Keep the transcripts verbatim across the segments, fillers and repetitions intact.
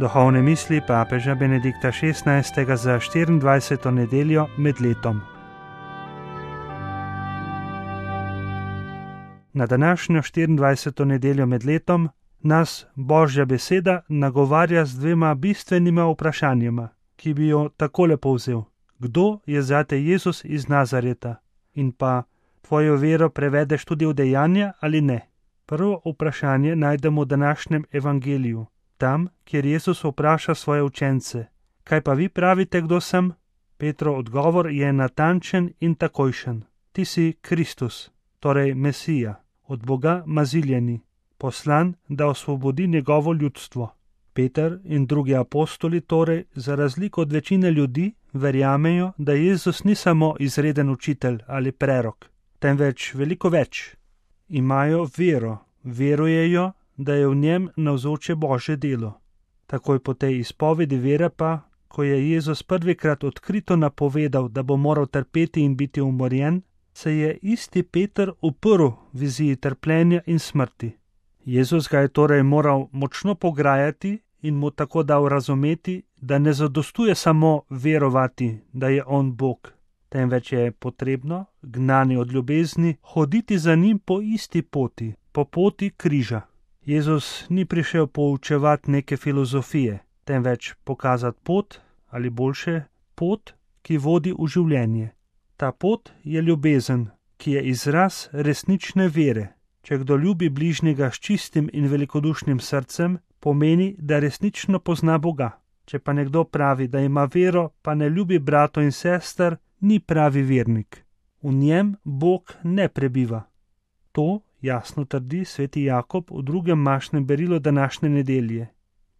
Duhovne misli papeža Benedikta šestnajstega za štiriindvajseto nedeljo med letom. Na današnjo štiriindvajseto nedeljo med letom nas Božja beseda nagovarja z dvema bistvenima vprašanjima, ki bi jo takole povzel: kdo je zate Jezus iz Nazareta? In pa, tvojo vero prevedeš tudi v dejanja ali ne? Prvo vprašanje najdemo v današnjem evangeliju, tam, kjer Jezus vpraša svoje učence: kaj pa vi pravite, kdo sem? Petrov odgovor je natančen in takojšen: ti si Kristus, torej Mesija, od Boga maziljeni, poslan, da osvobodi njegovo ljudstvo. Peter in drugi apostoli torej, za razliko od večine ljudi, verjamejo, da Jezus ni samo izreden učitelj ali prerok, temveč veliko več. Imajo vero, verujejo, da je v njem navzoče Božje delo. Takoj po tej izpovedi vere pa, ko je Jezus prvikrat odkrito napovedal, da bo moral trpeti in biti umorjen, se je isti Peter uprl viziji trpljenja in smrti. Jezus ga je torej moral močno pograjati in mu tako dal razumeti, da ne zadostuje samo verovati, da je on Bog, temveč je potrebno, gnani od ljubezni, hoditi za njim po isti poti, po poti križa. Jezus ni prišel poučevati neke filozofije, temveč pokazati pot, ali boljše, pot, ki vodi v življenje. Ta pot je ljubezen, ki je izraz resnične vere. Če kdo ljubi bližnjega s čistim in velikodušnim srcem, pomeni, da resnično pozna Boga. Če pa nekdo pravi, da ima vero, pa ne ljubi bratov in sester, ni pravi vernik. V njem Bog ne prebiva. To jasno trdi sveti Jakob v drugem mašnem berilu današnje nedelje.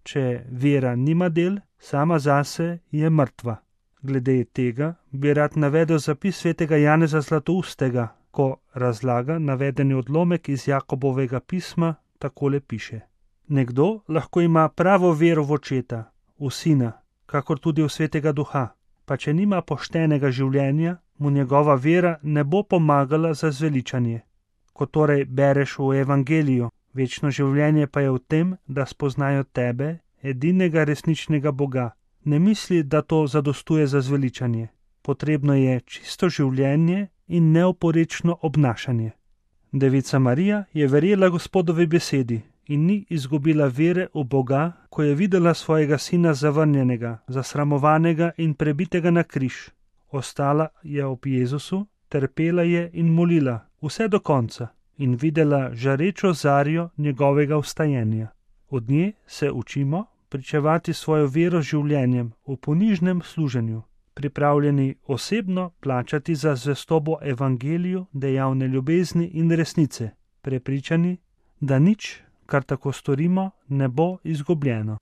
Če vera nima del, sama zase je mrtva. Glede tega bi rad navedel zapis svetega Janeza Zlatoustega, ko razlaga navedeni odlomek iz Jakobovega pisma, takole piše: nekdo lahko ima pravo vero v očeta, v sina, kakor tudi v svetega duha, pa če nima poštenega življenja, mu njegova vera ne bo pomagala za zveličanje. Ko torej bereš v evangeliju, večno življenje pa je v tem, da spoznajo tebe, edinega resničnega Boga, ne misli, da to zadostuje za zveličanje. Potrebno je čisto življenje in neoporečno obnašanje. Devica Marija je verjela Gospodovi besedi in ni izgubila vere v Boga, ko je videla svojega sina zavrnjenega, zasramovanega in prebitega na križ. Ostala je ob Jezusu, trpela je in molila vse do konca in videla žarečo zarjo njegovega vstajenja. Od nje se učimo pričevati svojo vero življenjem v ponižnem služenju, pripravljeni osebno plačati za zvestobo evangeliju, dejavne ljubezni in resnice, prepričani, da nič, kar tako storimo, ne bo izgubljeno.